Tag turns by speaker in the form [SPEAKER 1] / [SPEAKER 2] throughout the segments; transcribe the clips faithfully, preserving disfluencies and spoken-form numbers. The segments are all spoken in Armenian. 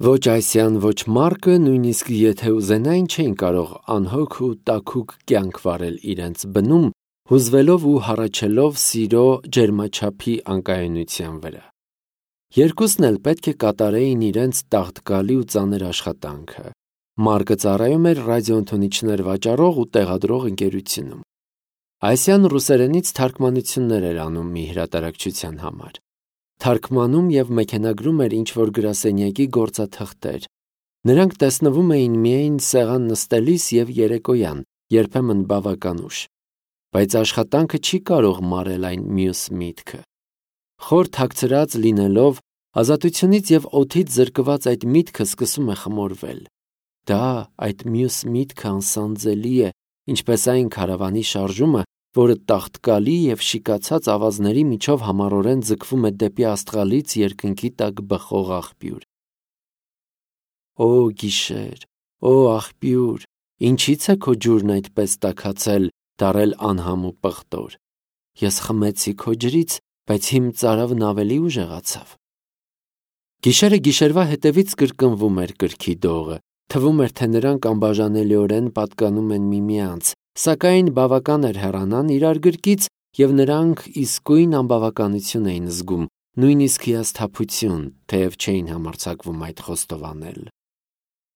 [SPEAKER 1] Ոչ Այսյան, ոչ Մարկը, նույնիսկ եթե ուզենային, չէին կարող անհոգ ու տաքուկ կյանք վարել իրենց բնում, հուզվելով ու հառաչելով սիրո ջերմաչափի անկայունության վրա։ Երկուսն էլ պետք է կատարեին իրենց տաղտկալի ու ծանր աշխատանքը։ Մարկը ծառայում էր ռադիոընդունիչներ վաճառող ու տեղադրող ընկերությունում։ Այսյան ռուսերենից թարգմանություններ էր անում մի հրատարակչության համար։ Թարգմանում և մեքենագրում էր ինչ-որ գրասենյակի գործաթղթեր։ Նրանք տեսնվում էին միայն սեղան նստելիս և երեկոյան, երբեմն բավական ուշ։ Բայց աշխատանքը չի կարող մարել այն մյուս միտքը։ Խոր թաքցրած լինելով, ազատությունից և օդից զրկված այդ միտքը սկսում է խմորվել։ Դա, այդ մյուս միտքը անսանձելի է, ինչպես այն քարավանի շարժումը, որը տաղտկալի և շիկացած ավազների միջով համառորեն ձգվում է դեպի աստղալից երկնքի տակ բխող աղբյուր։ Օ գիշեր, օ աղբյուր, ինչի՞ց է քո ջուրն այդպես տաքացել, դառել անհամ ու պղտոր։ Ես խմեցի քո ջրից, բայց իմ ծարավն ավելի ուժեղացավ։ Գիշերը գիշերվա հետևից կրկնվում էր կրքի դողը, թվում էր, թե նրանք անբաժանելիորեն պատկանում են միմյանց, սակայն բավական էր հեռանան իրար գրկից, և նրանք իսկույն անբավականություն էին զգում, նույնիսկ հիասթափություն, թեև չէին համարձակվում այդ խոստովանել։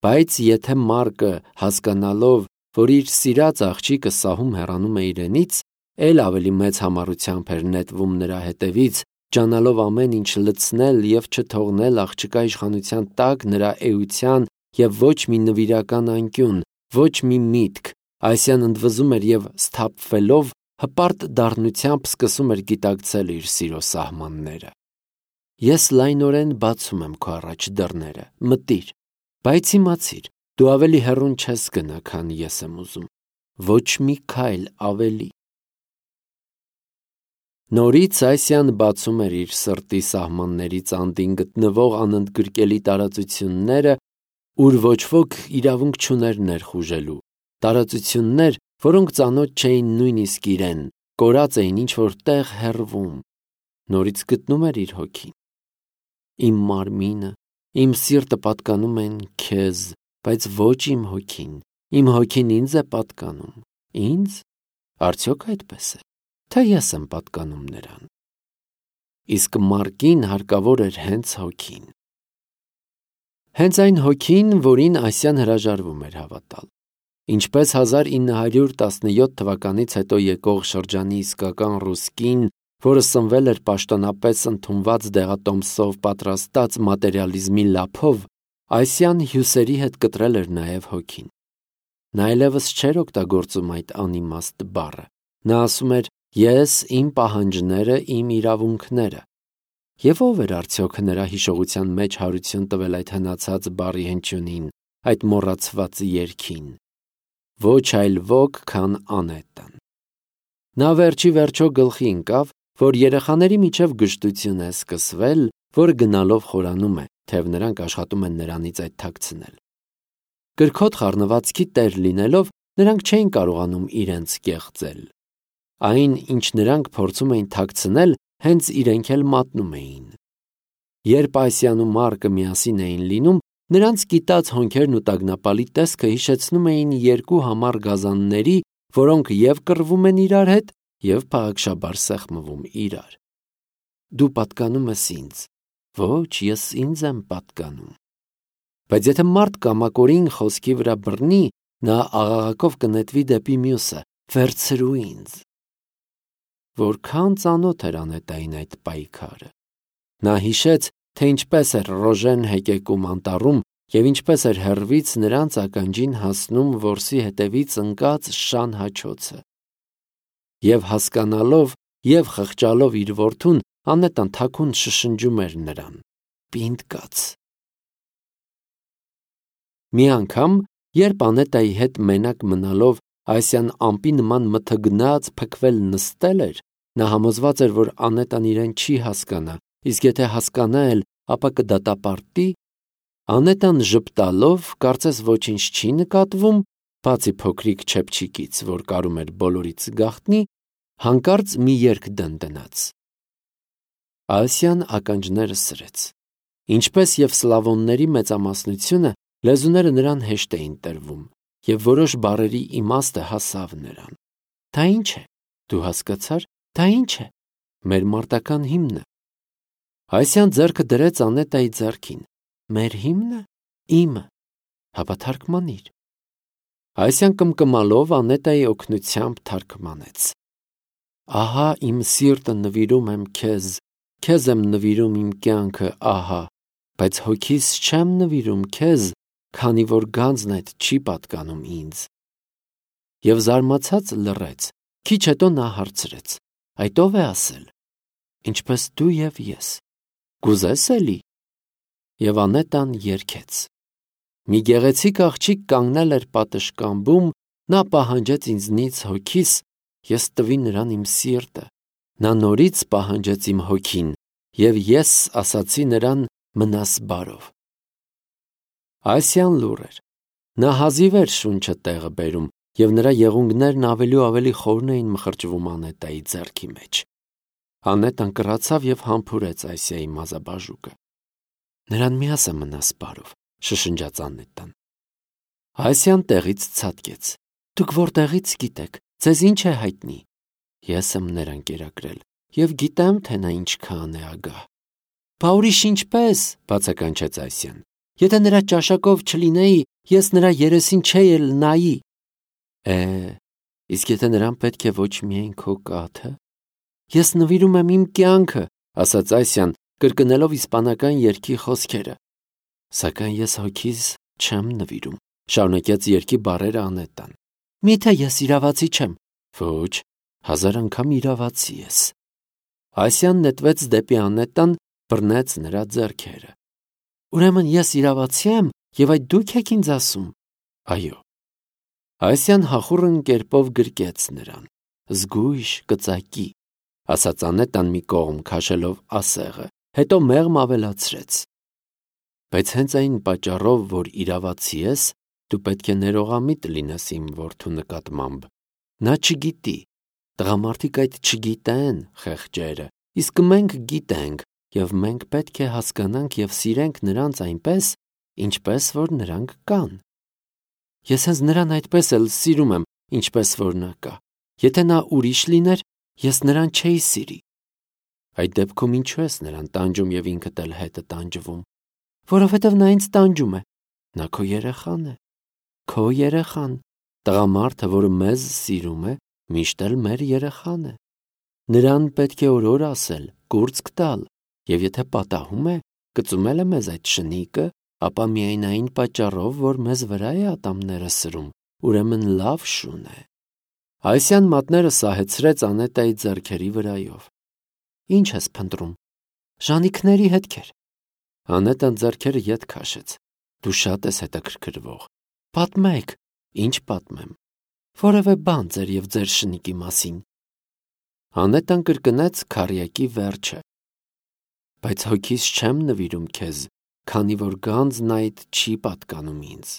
[SPEAKER 1] Բայց եթե Մարկը, հասկանալով, որ իր սիրած աղջիկը սահում հեռանում է իրենից, էլ ավելի մեծ համառությամբ էր նետվում նրա հետևից, ջանալով ամեն ինչ լցնել և չթողնել աղջկա իշխանության տակ նրա էության և ոչ մի նվիրական անկյուն, ոչ մի միտք, Այսյան ընդվզում էր և սթափվելով, հպարտ դառնությամբ սկսում էր գիտակցել իր սիրո սահմանները։ Ես լայնորեն բացում եմ քո առաջ դռները, մտիր, բայց իմացիր, դու ավելի հեռուն չես գնա, քան ես եմ ուզում, ոչ մի քայլ ավելի։ Նորից Այսյան բացում էր իր սրտի սահմաններից անդին գտնվող անընդգրկելի տարածությունները, ուր ոչ ոք իրավունք չուներ ներխուժելու, տարածություններ, որոնք ծանոթ չէին նույնիսկ իրեն, կորած էին ինչ-որ տեղ հեռվում։ Նորից գտնում էր իր հոգին։ Իմ մարմինը, իմ սիրտը պատկանում են քեզ, բայց ոչ իմ հոգին, իմ հոգին ինձ է պատկանում։ Ինձ։ Արդյոք այդպես է, թե ես եմ պատկանում նրան։ Իսկ Մարկին հարկավոր էր հենց հոգին։ Հենց այն հոգին, որին Այսյան հրաժարվում էր հավատալ։ Ինչպես հազար ինը հարյուր տասնյոթ թվականից հետո եկող շրջանի իսկական ռուս կին, որը սնվել էր պաշտոնապես ընդունված դեղատոմսով պատրաստած մատերիալիզմի լափով, Այսյան հյուսերի հետ կտրել էր նաև հոգին։ Նա այլևս չէր օգտագործում այդ անիմաստ բառը։ Նա ասում էր. «Ես, իմ պահանջները, իմ իրավունքները»։ Եվ ո՞վ էր արդյոք նրա հիշողության մեջ հարություն տվել այդ հնացած բառի հնչյունին, այդ մոռացված երգին։ Ոչ այլ ոք, քան Անետան։ Նա վերջի վերջո գլխի ընկավ, որ երեխաների միջև գժտություն է սկսվել, որը գնալով խորանում է, թեև նրանք աշխատում են նրանից այդ թաքցնել։ Կրքոտ խառնվածքի տեր լինելով, նրանք չէին կարողանում իրենց կեղծել։ Այն, ինչ նրանք փորձում էին թաքցնել, հենց իրենք էլ մատնում էին։ Երբ Այսյան ու Մարկը միասին էին լինում, նրանց կիտած հոնքերն ու տագնապալի տեսքը հիշեցնում էին երկու համառ գազանների, որոնք և կռվում են իրար հետ, և փաղաքշաբար սեղմվում իրար։ Դու պատկանում ես ինձ։ Ոչ, ես ինձ եմ պատկանում։ Բայց եթե մարդ կամակորին խոսքի վրա բռնի, նա աղաղակով կնետվի դեպի մյուսը. «Վերցրու ինձ»։ Որքան ծանոթ էր Անետային այդ պայքարը։ Նա հիշեց, թե ինչպես էր Ռոժեն հեկեկում անտառում և ինչպես էր հեռվից նրանց ականջին հասնում որսի հետևից ընկած շան հաչոցը։ Եվ հասկանալով, և խղճալով իր որդուն, Անետան թաքուն շշնջում էր նրան. «Պինդ կաց»։ Մի անգամ, երբ Անետայի հետ մենակ մնալով Այսյան ամպի նման մթգնած փքվել նստել էր, նա համոզված էր, որ Անետան իրեն չի հասկանա, իսկ եթե հասկանա էլ, ապա կդատապարտի, Անետան ժպտալով, կարծես ոչինչ չի նկատվում, բացի փոքրիկ չեփչիկից, որ կարում էր բոլորից գաղտնի, հանկարծ մի երգ դնդնաց։ Այսյան ականջները սրեց։ Ինչպես և սլավոնների մեծամասնությունը, լեզուները նրան հեշտ էին տրվում, և որոշ բառերի իմաստը հասավ նրան։ Դա ի՞նչ է, դու հասկացար, դա ի՞նչ է, մեր մարտական հիմնը։ Այսյան ձեռքը դրեց Անետայի ձեռքին։ Մեր հիմնը, իմը, հապա թարգմանիր։ Այսյան կմկմալով Անետայի օգնությամբ թարգմանեց. Ահա իմ սիրտը նվիրում եմ քեզ, քեզ եմ նվիրում իմ կյանքը, ահա, բայց հոգիս չեմ նվիրում քեզ, քանի որ գանձն այդ չի պատկանում ինձ։ Եվ զարմացած լռեց, քիչ հետո նա հարցրեց. այդ ով է ասել, ինչպես դու և ես, կուզես էլի։ Եվ Անետան երգեց. մի գեղեցիկ աղջիկ կանգնել էր պատշգամբում, նա պահանջեց ինձնից հոգիս, ես տվի նրան իմ սիրտը, նա նորից պահանջեց իմ հոգին, և ես ասացի նրան մնաս բարով։ Այսյան լուռ էր, նա հազիվ էր շունչը տեղը բերում, և նրա եղունգներն ավելի ու ավելի խորն էին մխրճվում Անետայի ձեռքի մեջ։ Անետան կռացավ և համբուրեց Այսիայի մազաբաժուկը։ Նրան մի ասա մնաս բարով, շշնջաց Անետան։ Այսյան տեղից ցատկեց. դուք որտեղից գիտեք, ձեզ ինչ է հայտնի։ Ես եմ նրան կերակրել, և գիտեմ, թե նա ինչքան է ագահ։ Բա ուրիշ ինչպես, բացականչեց Այսյան, եթե նրա ճաշակով չլինեի, ես նրա երեսին չէի էլ նայի։ Է, իսկ եթե նրան պետք է ոչ միայն քո կաթը։ Ես նվիրում եմ իմ կյանքը, ասաց Այսյան, կրկնելով իսպանական երգի խոսքերը։ Սակայն ես հոգիս չեմ նվիրում, շարունակեց երգի բառերը Անետան։ Միթե ես իրավացի չեմ։ Ոչ, հազար անգամ իրավացի ես։ Այսյան նետվեց դեպի Անետան, բռնեց նրա ձեռքերը։ Ուրեմն ես իրավացի եմ, և այդ դուք եք ինձ ասում։ Այո։ Այսյան հախուռն կերպով գրկեց նրան։ Զգույշ կծակի, ասաց Անետան մի կողմ քաշելով ասեղը, հետո մեղմ ավելացրեց. բայց հենց այն պատճառով, որ իրավացի ես, դու պետք է ներողամիտ լինես իմ որդու նկատմամբ։ Նա չգիտի, տղամարդիկ այդ չգիտեն, խեղճերը, իսկ մենք գիտենք, և մենք պետք է հասկանանք և սիրենք նրանց այնպես, ինչպես որ նրանք կան։ Ես հենց նրան այդպես էլ սիրում եմ, ինչպես որ նա կա։ Եթե նա ուրիշ լիներ, ես նրան չէի սիրի։ Այդ դեպքում ինչու ես նրան տանջում և ինքդ էլ հետը տանջվում։ Որովհետև նա ինձ տանջում է։ Նա քո երեխան է։ Քո երեխան, տղամարդը, որը մեզ սիրում է, միշտ էլ մեր երեխան է։ Նրան պետք է օրոր ասել, կուրծք տալ, և եթե պատահում է, կծումել է մեզ այդ շնիկը, ապա միայն այն պատճառով, որ մեզ վրա է ատամները սրում, ուրեմն լավ շուն է։ Այսյան մատները սահեցրեց Անետայի ձեռքերի վրայով։ Ինչ ես փնտրում։ Ժանիքների հետքեր։ Անետան ձեռքերը ետ քաշեց։ Դու շատ ես հետաքրքրվող։ Պատմեք, ինչ պատմեմ։ Որևէ բան ձեր և ձեր շնիկի մասին։ Անետան կրկնեց քառյակի վերջը։ Բայց հոգիս չեմ նվիրում քեզ, քանի որ գանձն այդ չի պատկանում ինձ։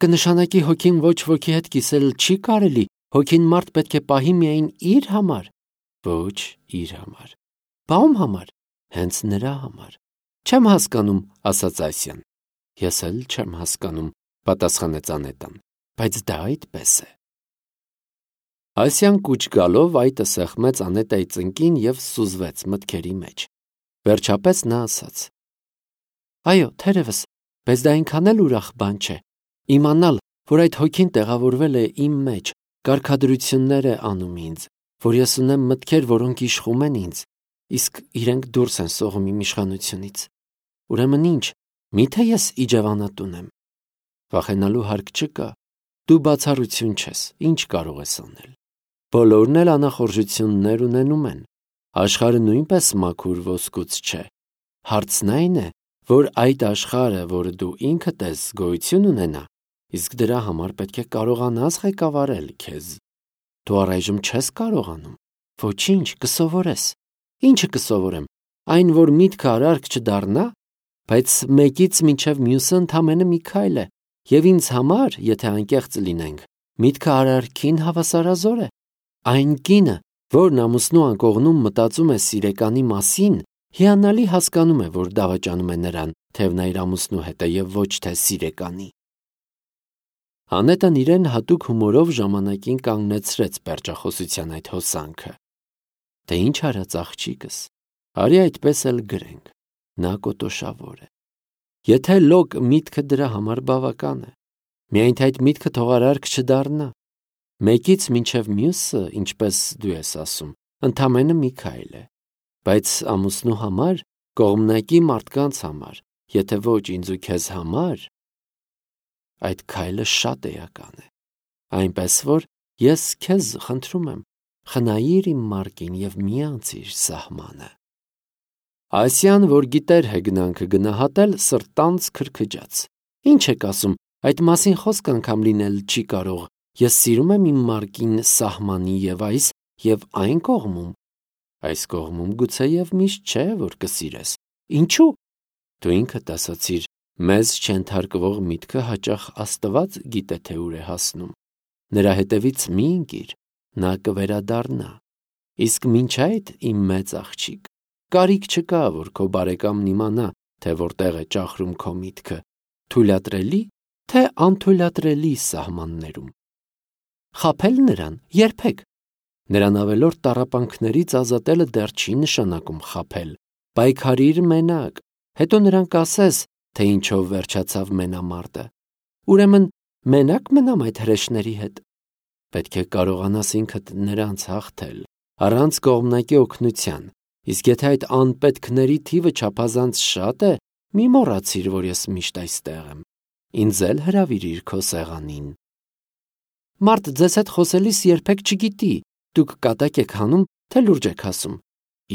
[SPEAKER 1] Կնշանակի հոգին ոչ ոքի հետ կիսել չի կարելի, հոգին մարդ պետք է պահի միայն իր համար։ Ոչ իր համար։ Բա ում համար։ Հենց նրա համար։ Չեմ հասկանում, ասաց Այսյան։ Ես էլ չեմ հասկանում, պատասխանեց Անետան, բայց դա այդպես է։ Այսյան կուչ գալով այտը սեղմեց Անետայի ծնկին և սուզվեց մտքերի մեջ։ Վերջապես նա ասաց. Այո, թերևս, բայց դա այնքան էլ ուրախ բան չէ։ Իմանալ, որ այդ հոգին տեղավորվել է իմ մեջ, կարգադրություններ է անում ինձ, որ ես ունեմ մտքեր, որոնք իշխում են ինձ, իսկ իրենք դուրս են սողում իմ իշխանությունից։ Ուրեմն ինչ, միթե ես իջևանատուն եմ։ Վախենալու հարկ չկա։ Դու բացառություն չես, ինչ կարող ես անել։ Բոլորն էլ անախորժություններ ունենում են։ Աշխարհը նույնպես մաքուր ոսկուց չէ։ Հարցն այն է, որ այդ աշխարհը, որը դու ինքդ ես, գոյություն ունենա, իսկ դրա համար պետք է կարողանաս ղեկավարել քեզ։ Դու առայժմ չես կարողանում։ Ոչինչ, կսովորես։ Ինչը կսովորեմ։ Այն, որ միտքը արարք չդառնա, բայց մեկից մինչև մյուսը ընդամենը մի քայլ է, և ինձ համար, եթե անկեղծ լինենք, միտքը արարքին հավասարազոր է։ Այն կինը, որն ամուսնու անկողնում մտածում է սիրեկանի մասին, Հիանալի հասկանում է, որ դավաճանում է նրան, թեև նա իր ամուսնու հետ է եւ ոչ թե սիրեկանի։ Անետան իրեն հատուկ հումորով ժամանակին կանգնեցրեց պերճախոսության այդ հոսանքը։ Թե ինչ արած աղջիկս, արի այդպես էլ գրենք, նա կոտոշավոր է։ Եթե լոկ միտքը դրա համար բավական է, միայն թե այդ միտքը թողարարք չդառնա, մեկից մինչև մյուսը, ինչպես դու ես ասում, ընդամենը մի քայլ է, բայց ամուսնու համար, կողմնակի մարդկանց համար, եթե ոչ ինձ ու քեզ համար, այդ քայլը շատ էական է, այնպես որ ես քեզ խնդրում եմ, խնայիր իմ մարկին և մի անցիր սահմանը։ Ասիան, որ գիտեր հեգնանքը գնահատել, սրտանց քրքջաց։ Ինչ եք ասում, այդ մասին խոսք անգամ լինել չի կարող, ես սիրում եմ իմ մարկին սահմանի և այս և այն կողմում։ Այս կողմում գուցեև միշտ չէ, որ կսիրես։ Ինչու՞։ Դու ինքդ ասացիր, մեզ չենթարկվող միտքը հաճախ Աստված գիտե, թե ուր է հասնում։ Նրա հետևից մի ընկիր, նա կվերադառնա։ Իսկ մինչ այդ, իմ մեծ աղջիկ, կարիք չկա, որ քո բարեկամն իմանա, թե որտեղ է ճախրում քո միտքը, թույլատրելի, թե անթույլատրելի սահմաններում։ Խաբել նրան երբեք։ Նրան ավելորդ տառապանքներից ազատելը դեռ չի նշանակում խաբել։ Պայքարիր մենակ, հետո նրան կասես, թե ինչով վերջացավ մենամարտը։ Ուրեմն մենակ մնամ այդ հրեշների հետ։ Պետք է կարողանաս ինքդ նրանց հաղթել, առանց կողմնակի օգնության, իսկ եթե այդ անպետքների թիվը չափազանց շատ է, մի մոռացիր, որ ես միշտ այստեղ եմ, ինձ էլ հրավիրիր քո սեղանին։ Մարդ ձեզ հետ խոսելիս երբեք չգիտի, դուք կատակ եք հանում, թե լուրջ եք ասում։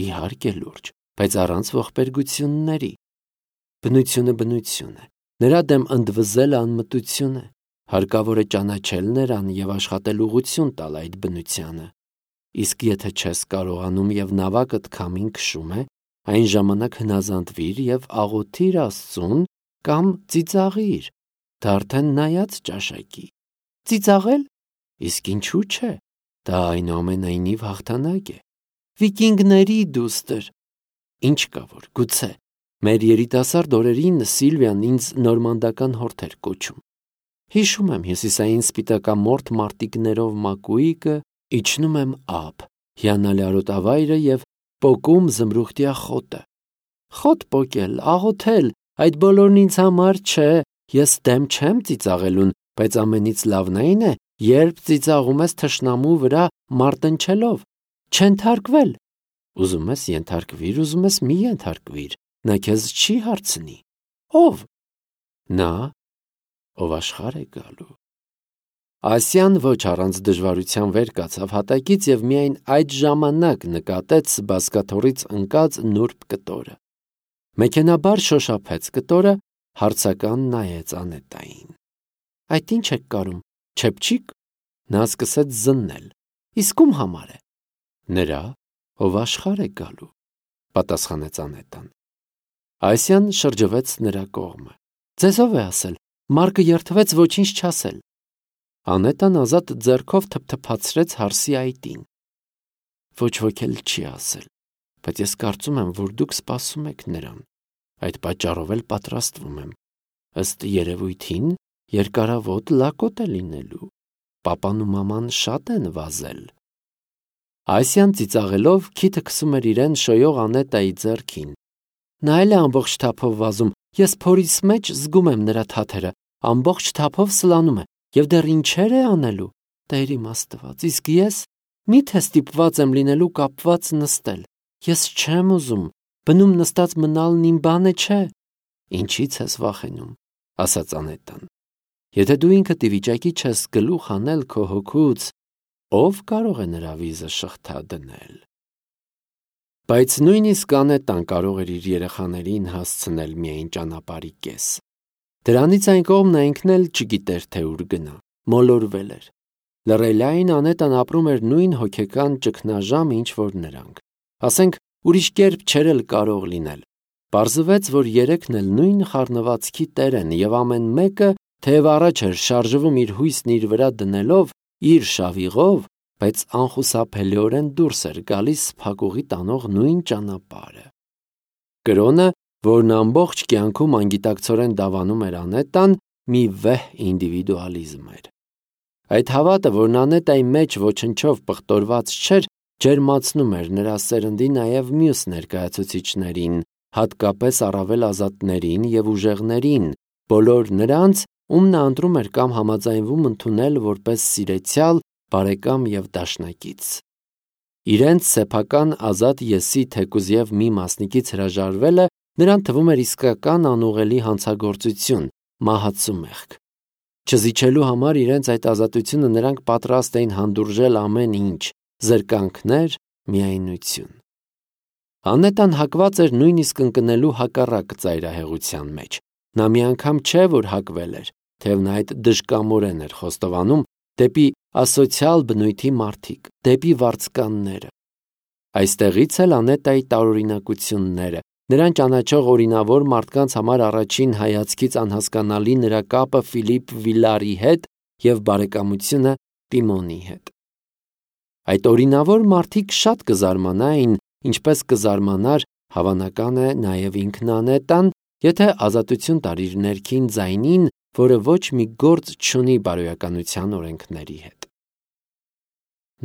[SPEAKER 1] Իհարկե լուրջ, բայց առանց ողբերգությունների։ Բնությունը բնություն է, նրա դեմ ընդվզել անմտություն է, հարկավոր է ճանաչել նրան և աշխատել ուղղություն տալ այդ բնությանը։ Իսկ եթե չես կարողանում և նավակդ քամին քշում է, այն ժամանակ հնազանդվիր և աղոթիր Աստծուն կամ ծիծաղիր, դա արդեն նայած ճաշակի։ Ծիծաղել։ Իսկ ինչու՞ չէ, դա այնուամենայնիվ հաղթանակ է։ Վիկինգների դուստր։ Ինչ կա որ, գուցե, մեր երիտասարդ օրերին Սիլվիան ինձ նորմանդական հորթ էր կոչում։ Հիշում եմ հյուսիսային սպիտակամորթ մարտիկներով մակույկը, իջնում եմ ափ, հիանալի արոտավայրը և պոկում զմրուխտյա խոտը։ Խոտ պոկել, աղոթել, այդ բոլորն ինձ համար չէ, ես դեմ չեմ ծիծաղելուն, բայց ամենից լավն այն է, երբ ծիծաղում ես թշնամու վրա մարտնչելով, չենթարկվել։ Ուզում ես ենթարկվիր, ուզում ես մի ենթարկվիր, նա քեզ չի հարցնի։ Ո՞վ։ Նա, ով աշխարհ է գալու։ Ասիան ոչ առանց դժվարության վեր կացավ հատակից և միայն այդ ժամանակ նկատեց բազկաթոռից ընկած նուրբ կտորը։ Մեքենաբար շոշափեց կտորը, հարցական նայեց Անետային։ Այդ ինչ եք կարում, չեփչիկ։ Նա սկսեց զննել։ Իսկ ում համար է։ Նրա, ով աշխարհ է գալու, պատասխանեց Անետան։ Ասիան շրջվեց նրա կողմը։ Ձեզ ով է ասել, Մարկը երդվեց ոչինչ չասել։ Անետան ազատ ձեռքով թփթփացրեց հարսի այտին։ Ոչ ոք էլ չի ասել, բայց ես կարծում եմ, որ դուք սպասում եք նրան, այդ պատճառով էլ պատրաստվում եմ։ Ըստ երևույթին երկարավոտ լակոտ է լինելու, պապան ու մաման շատ են վազել։ Ասիան ծիծաղելով քիթը քսում էր իրեն շոյող Անետայի ձեռքին։ Նա էլ է ամբողջ թափով վազում, ես փորիս մեջ զգում եմ նրա թաթերը, ամբողջ թափով սլանում է, և դեռ ինչեր է անելու, Տեր իմ Աստված, իսկ ես մի՞թե ստիպված եմ լինելու կապված նստել, ես չեմ ուզում, բնում նստած մնալն իմ բանը չէ։ Ինչի՞ց ես վախենում, ասաց Անետան։ Եթե դու ինքդ ի վիճակի չես գլուխ անել քո հոգուց, ով կարող է նրա վիզը շղթա դնել։ Բայց նույնիսկ Անետան կարող էր իր երեխաներին հասցնել միայն ճանապարհի կես։ Դրանից այն կողմ նա ինքն էլ չգիտեր, թե ուր գնա, մոլորվել էր։ Լռելային Անետան ապրում էր նույն հոգեկան ճգնաժամը, ինչ որ նրանք։ Ասենք, ուրիշ կերպ չէր էլ կարող լինել։ Պարզվեց, որ երեքն էլ նույն խառնվածքի տեր են, և ամեն մեկը, թեև առաջ էր շարժվում իր հույսն իր վրա դնելով, իր շավիղով, բայց անխուսափելիորեն դուրս էր գալիս փակուղի տանող նույն ճանապարհը։ Կրոնը, որն ամբողջ կյանքում անգիտակցորեն դավանում էր Անետան, մի վեհ ինդիվիդուալիզմ էր։ Այդ հավատը, որն Անետայի մեջ ոչնչով պղտորված չէր, ջերմացնում էր նրա սերնդի նաև մյուս ներկայացուցիչներին, հատկապես առավել ազատներին և ուժեղներին, բոլոր նրանց, ում նա ընտրում էր կամ համաձայնվում ընդունել որպես սիրեցյալ, բարեկամ և դաշնակից։ Իրենց սեփական ազատ եսի թեկուզև մի մասնիկից հրաժարվելը նրան թվում էր իսկական անուղղելի հանցագործություն, մահացու մեղք։ Չզիջելու համար իրենց այդ ազատությունը նրանք պատրաստ էին հանդուրժել ամեն ինչ, զրկանքներ, միայնություն։ Անետան հակված էր նույնիսկ ընկնելու հակառակ ծայրահեղության մեջ։ Նա մի անգամ չէ, որ հակվել էր, թեև նա այդ դժկամորեն էր խոստովանում դեպի ասոցիալ բնույթի մարդիկ, դեպի վարձկանները։ Այստեղից էլ Անետայի տարօրինակությունները, նրան ճանաչող օրինավոր մարդկանց համար առաջին հայացքից անհասկանալի նրա կապը Ֆիլիպ Վիլարի հետ և բարեկամությունը Տիմոնի հետ։ Այդ օրինավոր մարդիկ շատ կզարմանային, ինչպես կզարմանար, հավանական է, նաև ինքն Անետան, եթե ազատություն տար իր ներքին ձայնին, որը ոչ մի գործ չունի բարոյականության օրենքների հետ։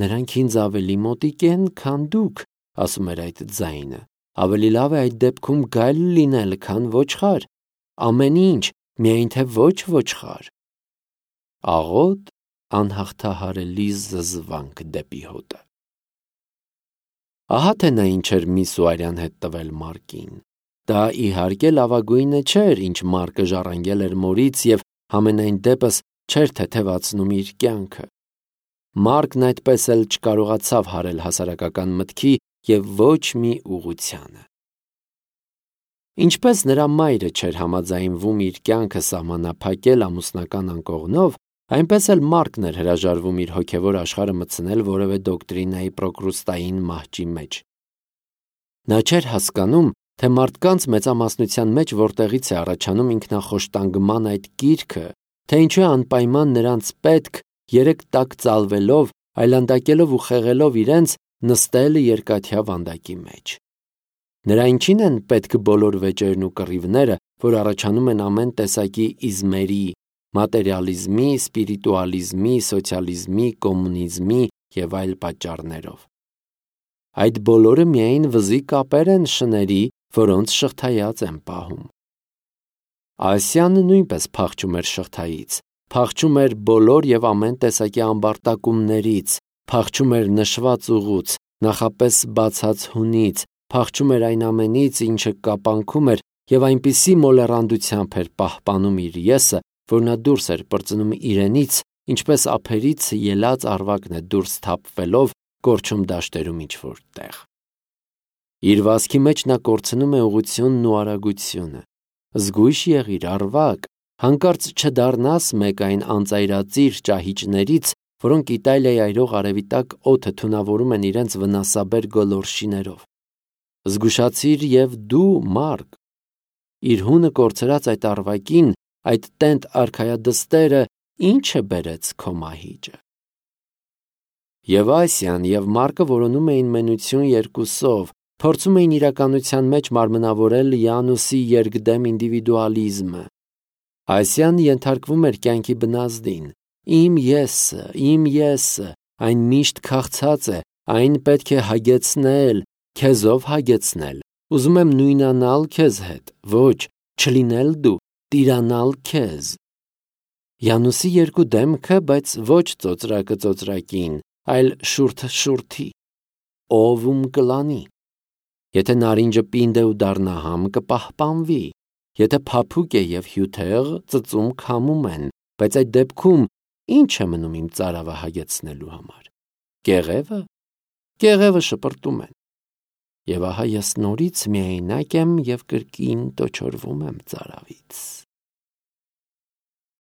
[SPEAKER 1] Նրանք ինձ ավելի մոտիկ են, քան դուք, ասում էր այդ ձայնը։ Ավելի լավ է այդ դեպքում գայլ լինել, քան ոչխար։ Ամեն ինչ, միայն թե ոչ ոչխար։ Աղոտ, անհաղթահարելի զզվանք դեպի հոտը։ Ահա թե նա ինչ էր միս Ուայրյան հետ տվել Մարկին։ Դա իհարկե լավագույնը չէր, ինչ Մարկը ժառանգել էր մորից և համենայն դեպս չէր թեթևացնում իր կյանքը։ Մարկն այդպես էլ չկարողացավ հարել հասարակական մտքի և ոչ մի ուղղությանը։ Ինչպես նրա մայրը չէր համաձայնվում իր կյանքը սահմանափակել ամուսնական անկողնով, այնպես էլ Մարկն էր հրաժարվում իր հոգևոր աշխարհը մտցնել որևէ դոկտրինայի պրոկրուստային մահճի մեջ։ Նա չէր հասկանում, թե մարդկանց մեծամասնության մեջ որտեղից է առաջանում ինքնախոշտանգման այդ կիրքը, թե ինչու է անպայման նրանց պետք, երեք տակ ծալվելով, այլանդակելով ու խեղելով իրենց, նստել երկաթյա վանդակի մեջ։ Նրա ինչին են պետք բոլոր վեճերն ու կռիվները, որ առաջանում են ամեն տեսակի իզմերի, մատերիալիզմի, սպիրիտուալիզմի, սոցիալիզմի, կոմունիզմի և այլ պատճառներով։ Այդ բոլորը միայն վզի կապեր են շների, որոնց շղթայած են պահում։ Ասիան նույնպես փախչում էր շղթայից, փախչում էր բոլոր և ամեն տեսակի ամբարտակումներից, փախչում էր նշված ուղուց, նախապես բացած հունից, փախչում էր այն ամենից, ինչը կապանքում էր և այնպիսի մոլեռանդությամբ էր պահպանում իր եսը, որ նա դուրս էր պրծնում իրենից, ինչպես ափերից ելած առվակն է դուրս թափվելով կորչում դաշտերում ինչ-որ տեղ։ Իր վազքի մեջ նա կորցնում է ուղղությունն ու արագությունը։ Զգույշ եղիր, առվակ, հանկարծ չդառնաս մեկ այն անծայրածիր ճահիճներից, որոնք Իտալիայի այրող արևի տակ օդը թունավորում են իրենց վնասաբեր գոլորշիներով։ Զգուշացիր և դու, Մարկ։ Իր հունը կորցրած այդ առվակին, այդ տենտ արքայադստերը ի՞նչը բերեց քո մահիճը։ Եվ Ասիան, և Մարկը որոնում էին մենություն երկուսով, փորձում էին իրականության մեջ մարմնավորել Յանուսի երկդեմ ինդիվիդուալիզմը։ Ասիան ենթարկվում էր կյանքի բնազդին։ Իմ եսը, իմ եսը, այն միշտ քաղցած է, այն պետք է հագեցնել, քեզով հագեցնել, ուզում եմ նույնանալ քեզ հետ, ոչ, չլինել դու, տիրանալ քեզ։ Յանուսի երկու դեմքը, բայց ոչ ծոծրակը ծոծրակին, այլ շուրթը շուրթի, ով ում կլանի։ Եթե նարինջը պինդ է ու դառնա համ, կպահպանվի, եթե փափուկ է և հյութեղ, ծծում քամում են, բայց այդ դեպքում ի՞նչ է մնում իմ ծարավը հագեցնելու համար։ Կեղևը։ Կեղևը շպրտում են։ Եվ ահա ես նորից միայնակ եմ և կրկին տոչորվում եմ ծարավից։